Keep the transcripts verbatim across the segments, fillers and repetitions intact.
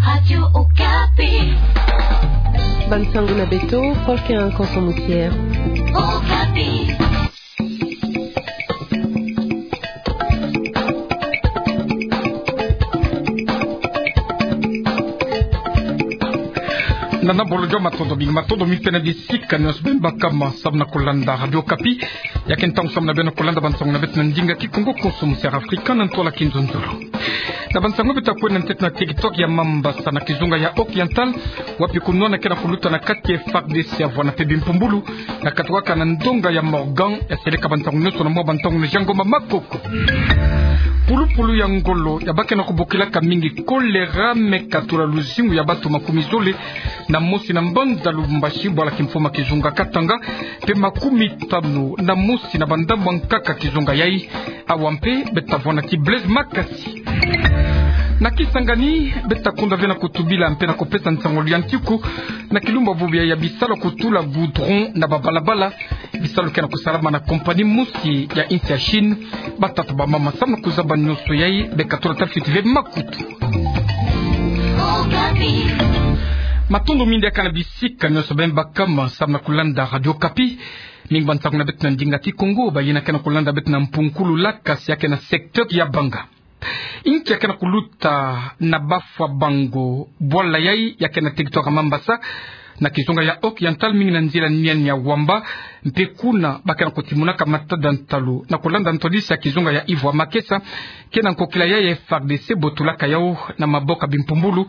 Radio Okapi. Bansango na beto, Paul Keranko Somusier. Okapi. Nana bolo jo matondo mingi, matondo mingi pene bisika nionso beno baka ma samu na kulanda Radio Okapi. Ya ke ntangu samu na beno kulanda bansango na beto na ndinga Kikongo, Kongo Somusier Afrika, na ntwala Kinzonzolo. Na bansango beto ta kwenda ntete na territoire ya Mambasa na kizunga ya Oriental, wapi kunwana ke na kuluta na kati F A R D C, avwanda mpe bimpumbulu, na katukaka na ndonga ya Morgan, ya seleka bantangu nionso na mwa bantangu na Jean Ngoma Makoko. Pulupulu ya ngolo, ya ba ke na kubokilaka mingi choléra, me katula luzingu ya bato makumi zole na mosi na mbanza Lubumbashi, bwala kimfumu kizunga Katanga, mpe makumi tanu na mosi na bandambu ya nkaka kizunga yai. Awa mpe, beto ta vwanda ti Blaise Makasi. Na Kisangani, beto ta kunda ve na kutubila mpe na kupesa nsangu ya ntiku na kilumbu bubu ya bisalu kutula goudron na babalabala. Bisalu ke na kusalama na compagnie mosi ya insi ya Chine. Batata, bamama, samu na kuzaba nionso yai, beka tula tafiti ve makutu. Matondo mingi diaka na bisika nionso beno baka ma samu na kulanda Radio Okapi. Mingi bansango na beto na ndinga Kikongo, bayina ke na kulanda beto na mpunkulu lakasi ya ke na secteur ya Banga. Inki ya ke na kuluta na Bafwa Bango, bwala yai ya ke na territoire ya Mambasa, na kizunga ya Oriental, mingi na nzila Niania Wamba, mpe kuna ba ke na kutimunaka matada ntalu, na kulanda ntwadisi ya kizunga ya Yves Makesa, ke na nkokila yai ya F A R D C botulaka yau na maboko ya bimpumbulu,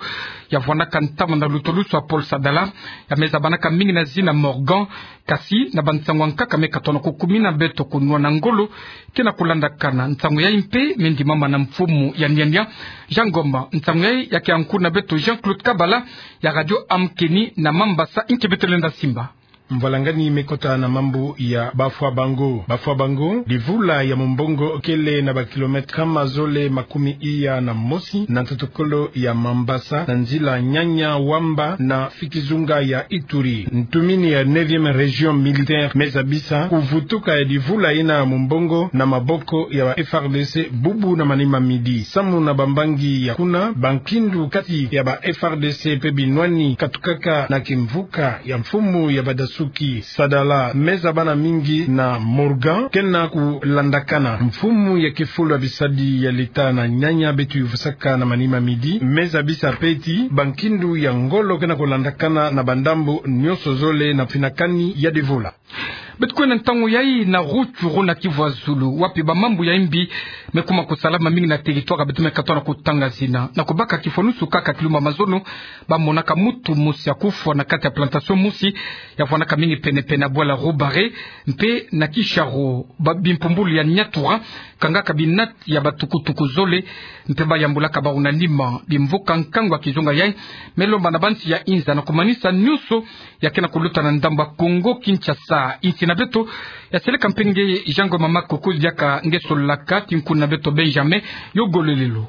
ya vwandaka ntama na lutulusu ya Paul Sadala, ya me zabanaka mingi na zina Morgan, kasi na bansangu ya nkaka me katona kukumina beto kunwana ngolo ke na kulandakana. Nsangu yai mpe me ndimama na mfumu ya Niania, Jean Ngoma. Nsangu yai ya ke ya nkutu na beto Jean-Claude Kabala ya Radio Amkeni na Mambasa. Inki beto lenda simba? Mvwalangani me kota na mambu ya Bafwa Bango. Bafwa Bango, divula ya mumbongo kele na ba kilomètre nkama zole makumi iya na mosi na ntoto kolo ya Mambasa, na nzila Niania Wamba na fi kizunga ya Ituri. Ntumini ya neuvième région militaire me zabisa kuvutuka ya divula yina mumbongo na maboko ya ba F A R D C bubu na manima midi. Samu na bambangi ya kuna, bankindu kati ya ba F A R D C mpe binwani katukaka na kimvuka ya mfumu ya badasuki Sadala me zabana mingi na Morgan ke na kulandakana. Mfumu ya kifulu ya bisadi ya leta na Niania beto yuvusaka na manima midi me zabisa mpe ti bankindu ya ngolo ke na kulandakana na bandambu nionso zole na mfinakani ya divula. Beto kwenda ntangu yai na Rutshuru na Kivu ya Zulu, wapi bamambu ya imbi me kuma kusalama mingi na territoire ya beto me katona kutanga zina. Na kubaka kifwanusu kaka kilumbu ya mazono, ba monaka mutu mosi ya kufwa na kati ya plantation mosi ya vwandaka mingi penepene ya bwala Roubaret, mpe na Kisharo, ba bimpumbulu ya Niatura kangaka binati ya batukutuku zole, mpe ba yambulaka bawu na nima. Bimvuka nkangu ya kizunga yai me lomba na bansi ya inza na kumanisa nionso ya ke na kuluta na ndambu ya Kongo Kinshasa. Insi na beto ya seleka mpe nge Jean Ngoma Makoko, diaka nge solaka ti nkutu na beto Benjamin Yogolelelo.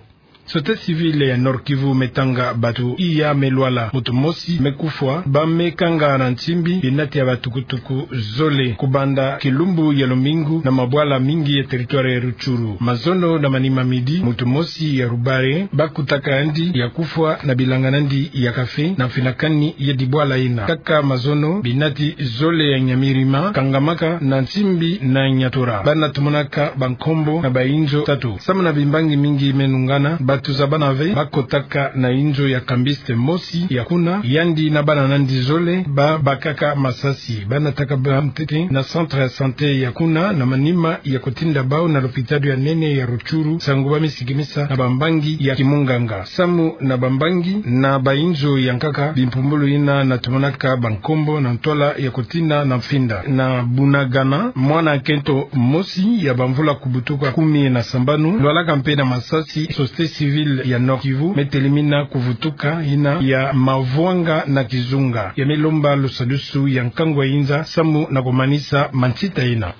Société civile ya Nord-Kivu me tanga bato iya me lwala, mutu mosi me kufwa, ba me kanga na ntimbi binati ya batukutuku zole kubanda kilumbu ya lumingu na mabwala mingi ya territoire ya Rutshuru. Mazono na manima midi, mutu mosi ya Roubaret, ba kutaka yandi ya kufwa na bilanga na yandi ya café na mfinakani ya dibwala yina. Kaka mazono, binati zole ya Nyamirima kangamaka na ntimbi na Niatura. Bana tumonaka bankombo na bainzo tatu. Samu na bimbangi mingi me nungana, bato zabana ve ba kotaka na inzo ya cambiste mosi ya kuna, yandi na bana na yandi zole ba bakaka masasi. Bana taka bâ ntete na centre ya santé ya kuna na manima ya kotinda bawu na lopitalo ya nene ya Rutshuru, sangu ba me sikimisa na bambangi ya kimunganga. Samu na bambangi na bainzo ya nkaka, bimpumbulu yina na tumonaka bankombo na ntwala ya kotinda na mfinda. Na Bunagana, mwana nkento mosi ya bamvula kubutuka kumi na sambanu lwalaka mpe na masasi. Société civile ya Nord-Kivu me telemina kuvutuka yina ya mavwanga na kizunga. Ya me lomba lusadusu ya nkangu ya inza samu na kumanisa mansita yina.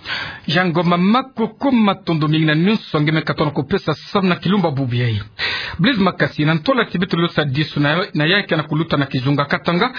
Jean Ngoma Makoko, matondo mingi na nionso nge me katona kupesa samu na kilumbu bubu yai. Blaise Makasi, na ntwala ti beto losadisu na, na ya ke na kuluta na kizunga Katanga,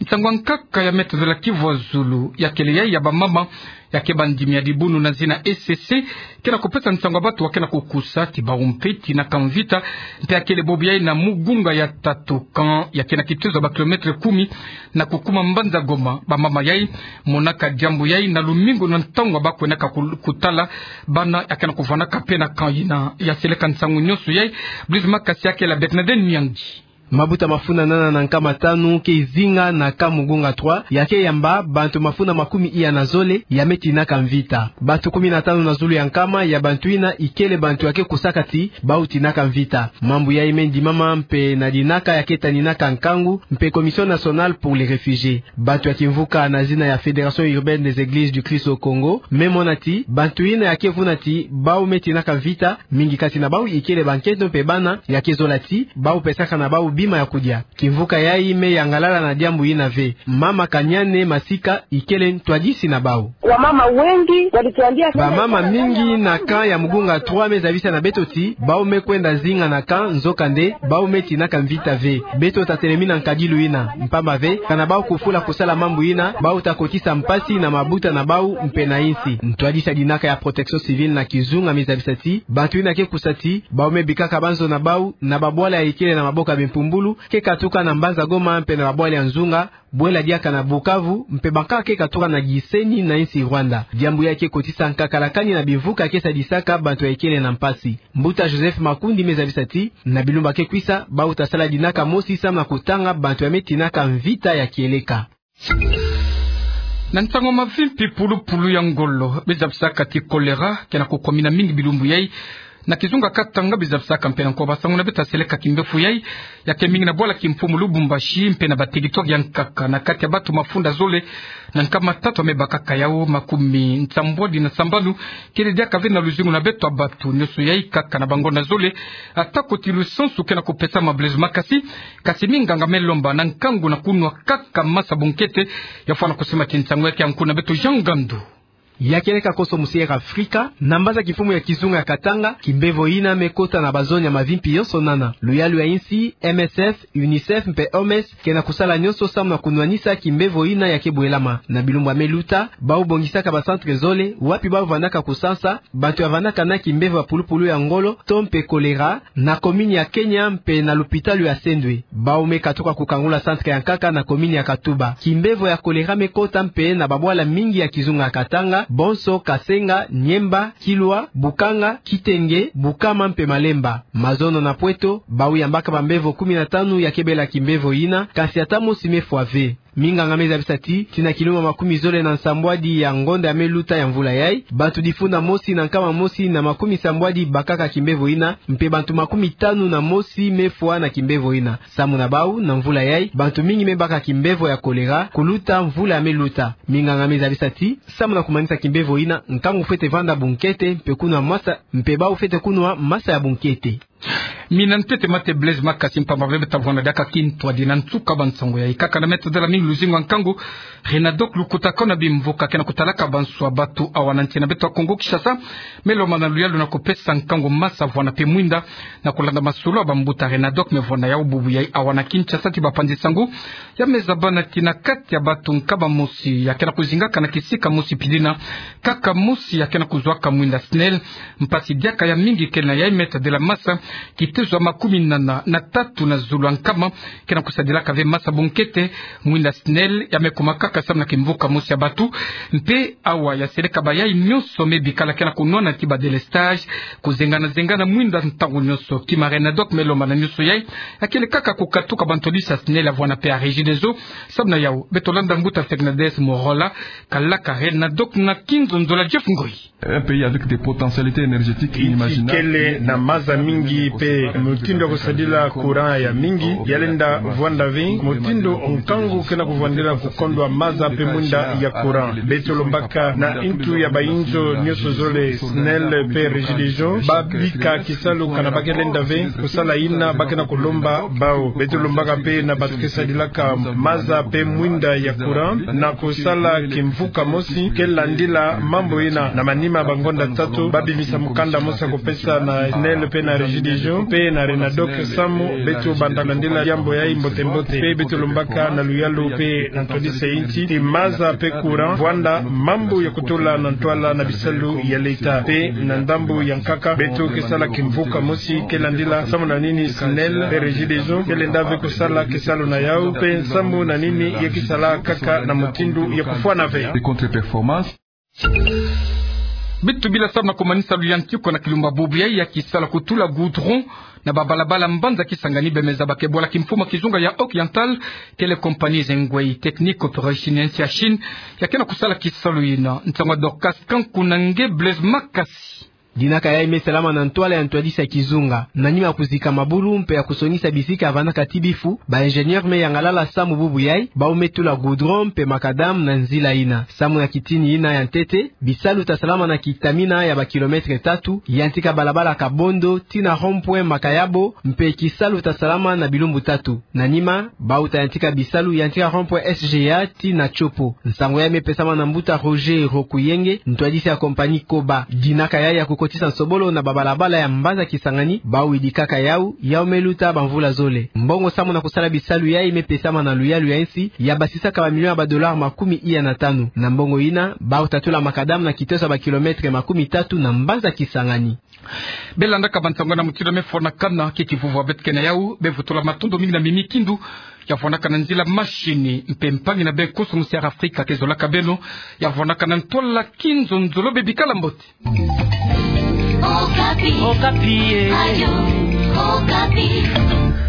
Nsangu ya nkaka ya Me Tadela Kivuazulu, ya kele yayi ya bamama ya ke bandimi ya dibunu na zina E C C, ke na kupesa nsangu ya batu wa ke na kukusa ti bawu mpe tinaka mvita, mpe ya kele bobo yayi na Mugunga ya tatu, camp ya ke na kitezo ya ba kilomètre kumi na kukuma mbanza Goma. Bamama yayi monaka diambu yayi na lumingu na ntangu ba kwenaka ku-, kutala bana ya ke na kuvwandaka mpe na camp yina. Ya seleka nsangu nyonso yayi, Blaise Makasi, ya kele Bernadette Miangi. Mabuta mafunda nana na nkama tanu ke zinga na camp Mugunga trois, ya ke yamba bantu mafunda makumi iya na zole ya me tinaka mvita. Bantu kumi na tanu na zulu ya nkama ya bantu yina ikele bantu ya ke kusaka ti bawu tinaka mvita. Mambu yayi me ndimama mpe na dinaka ya ke taninaka nkangu mpe Commission Nationale pour les Réfugiés. Bantu ya kimvuka na zina ya Fédération Urbaine des Églises du Christ au Congo me mona ti bantu yina ya ke vuna ti bawu me tinaka mvita, mingi kati na bawu ikele bankento mpe bana, ya ke zola ti bawu pesaka na bawu bima ya kudia. Kimvuka yayi me yangalala na diambu yina ve. Mama Kanyane Masika ikele ntwadisi na bawu. Wamama wengi walituambia, bamama mingi na camp ya Mugunga trois me zabisa na beto ti bawu me kwenda zinga na camp, nzokande bawu me tinaka mvita ve. Beto tatelemi na nkadilu yina, mpamba ve kana bawu kufula kusala mambu yina, bawu ta kotisa mpasi na mabuta na bawu mpe na insi. Ntwadisi ya dinaka ya Protection Civile na kizunga me zabisa ti bantu yina ke kusa ti bawu me bikaka banzo na bawu na babwala ya ikele na maboko ya bimpumbulu, ke katuka na mbanza Goma mpe na babwala ya nzunga, bwela diaka na Bukavu, mpe bankaka ke katuka na Gisenyi na insi Rwanda. Diambu yayi ke kotisa nkakalakani na bimvuka ke sadisaka bantu ya ikele na mpasi. Mbuta Joseph Makundi me zabisa ti na bilumbu ya ke kwisa, bawu ta sala dinaka mosi samu na kutanga bantu ya me tinaka mvita ya kieleka. Na nsangu mavimpi, pulupulu ya ngolo, be zabisaka ti choléra ke na kukomina mingi bilumbu yayi na kizunga Katanga, be zabisaka mpe na nko basangu na beto ya seleka kimbevo yayi ya ke mingi na bwala kimfumu Lubumbashi mpe na baterritware ya nkaka. Na kati ya bantu mafunda zole na nkama tatu ya me bakaka yawu, makumi nsambwadi na sambanu kele diaka ve na luzingu na beto ya bantu. Nyonso yayi kaka na bangonda zole, ata ko ti lusansu ke na kupesama, Blaise Makasi, kasi minganga me lomba na nkangu na kunwa kaka masa bunkete. Ya fwana kusimba ti nsangu ya ke, ankuna beto Jean Ngandu. Ya kieleka konso musi Air Africa, na mbaza kimfumu ya kizunga ya Katanga, kimbevo yina me kota na bazone ya mavimpi yonso nana. Luyalu ya insi, M S F, UNICEF mpe O M S ke na kusala nyonso samu na kunwanisa kimbevo yina ya ke bwelama. Na bilumbu ya me luta, bawu bongisaka ba centre zole wapi bawu vandaka kusansa bantu ya vandaka na kimbevo ya pulupulu ya ngolo to mpe choléra, na commune ya Kenya mpe na lupitalu ya Sendwe. Bawu me katuka kukangula centre ya nkaka na commune ya Katuba. Kimbevo ya choléra me kota mpe na babwala mingi ya kizunga ya Katanga, bonso Kasenga, Niemba, Kilwa, Bukanga, Kitenge, Bukama mpe Malemba. Mazono na Pweto, bawu yambaka bambevo kumi na tanu ya ke bela kimbevo yina, kasi ata mosi me fwa ve. Minganga me zabisa ti, ti na kilumbu makumi zole na nsambwadi ya ngonda ya me luta ya mvula yayi, bantu difunda mosi na nkama mosi na makumi sambwadi bakaka kimbevo yina, mpe bantu makumi tanu na mosi me fwa na kimbevo yina. Samu na bawu, na mvula yayi, bantu mingi me baka kimbevo ya choléra kuluta mvula ya me luta. Minganga me zabisa ti, samu na kumanisa kimbevo yina, nkangu fwete vanda bunkete, mpe kunwa masa, mpe bawu fwete kunwa masa ya bunkete. Mina ntete mate Blaise Makasi, mpamba ve beta vwanda diaka kintwadi na nsuka ba nsangu yayi. Kaka na Me Tadela mingi luzingu ya nkangu, Renadoc, lukutakanu ya bimvuka ke na kutalaka banswa bantu awa na nsi na beto ya Kongo Kinshasa, me lomba na luyalu na kupesa nkangu masa vwanda mpe mwinda na kulanda masolo ya bambuta Renadoc me vwanda yawu bubu yayi awa na Kinshasa ti bapanzi nsangu. Ya me zabana ti na kati ya bantu nkama mosi ya ke na kuzingaka na kisika mosi pidina, kaka mosi ya ke na kuzwaka mwinda SNEL. Mpasi diaka ya mingi kele na yayi, Me Tadela, masa kitezo ya makumi nana na tatu na zulu ya nkama ke na kusadilaka ve masa bunkete, mwinda SNEL ya me kuma kaka samu na kimvuka mosi ya bantu. Mpe awa ya seleka bayayi nyonso me bikala ke na kunwana ti ba délestage, kuzengana-zengana mwinda ntangu nyonso. Kima Renadoc me lomba na nyonso yayi, ya kele kaka kukatuka bantwadisi ya SNEL ya vwanda mpe ya Regideso. Samu na yawu, beto landa mbuta Fernandes Morola, kalaka Renadoc na kinzonzolo ya Jeff Ngoyi. Un pays avec des potentialités énergétiques inimaginables. Insi kele na maza mingi mpe mutindu ya kusadila courant ya mingi, ya lenda vwanda ve mutindu nkangu ke na kuvwandila kukondwa maza mpe mwinda ya courant. Beto lombaka na ntu ya bayinzo nyonso zole, SNEL mpe Regideso, ba bika kisalu kana ba ke lenda ve kusala yina ba ke na kulomba bawu. Beto lombaka mpe na bantu ke sadilaka maza mpe mwinda ya courant na kusala kimvuka mosi ke landila mambu yina. Na manima ya bangonda tatu, ba bimisa mukanda mosi ya kupesa na SNEL mpe na Regideso. Région mpe na Renadoc Samu, beto banda kulandila diambu yayi mbote mbote. Mpe beto lombaka na luyalu mpe na ntwadisa ya insi, ti maza mpe courant, vwanda mambu ya kutula na ntwala na bisalu ya l'État. Mpe na ndambu ya nkaka, beto ke sala kimvuka mosi ke landila samu na nini SNEL mpe Regideso ke lenda ve kusala kisalu na yawu, mpe samu na nini ya kisala kaka na mutindu ya kufwana ve. Beto bila samu na kumanisa luyantika na kilumba bubu yayi ya kisala kutula goudron na babalabala mbanza Kisangani, bemeza ba ke bwala kimfumu ya kizunga ya Oriental, kele compagnie Zhengwei Technique Corporation ya nsi ya Chine, ya ke na kusala kisalu yina. Nsangu ya Dorcas Kanku na nge Blaise Makasi. Dinaka yayi me salama na ntwala ya ntwadisa ya kizunga. Na nima ya kuzika mabulu mpe ya kusongisa bisika ya vandaka ti bifu, ba ingénieur me yangalala samu bubu yayi, bawu me tula goudron mpe macadam na nzila yina. Samu na kitini yina ya ntete, bisalu ta salama na kitamina ya ba kilomètre tatu, yantika balabala Kabondo tii na rond-point Makayabo, mpe kisalu ta salama na bilumbu tatu. Na nima, bawu ta yantika bisalu yantika rond-point S G A tii na Tshopo. Nsangu yayi me pesama na mbuta Roger Rokuyenge, ntwadisi ya compagnie Coba. Dinaka yayi ya kukotisa nsobolo na babalabala ya mbanza Kisangani, bawu yidikaka yawu, yawu me luta bamvula zole. Mbongo samu na kusala bisalu yayi me pesama na luyalu ya insi, ya basisaka ba million ya ba dollars makumi iya na tanu. Na mbongo yina, bawu ta tula macadam na kiteso ya ba kilomètre makumi tatu na mbanza Kisangani. Be landaka bansangu na mutindu me fwanakana, ke kivuvu beto ke na yawu, be vutula matondo mingi na mimi Kindu, ya fwanaka na nzila machine, mpe mpangi na be nkoso musi ya Afrika ke zolaka beno, ya fwanaka na ntwala kinzonzolo, be bikala mbote. Okapi. Okapi, eh. Radio Okapi.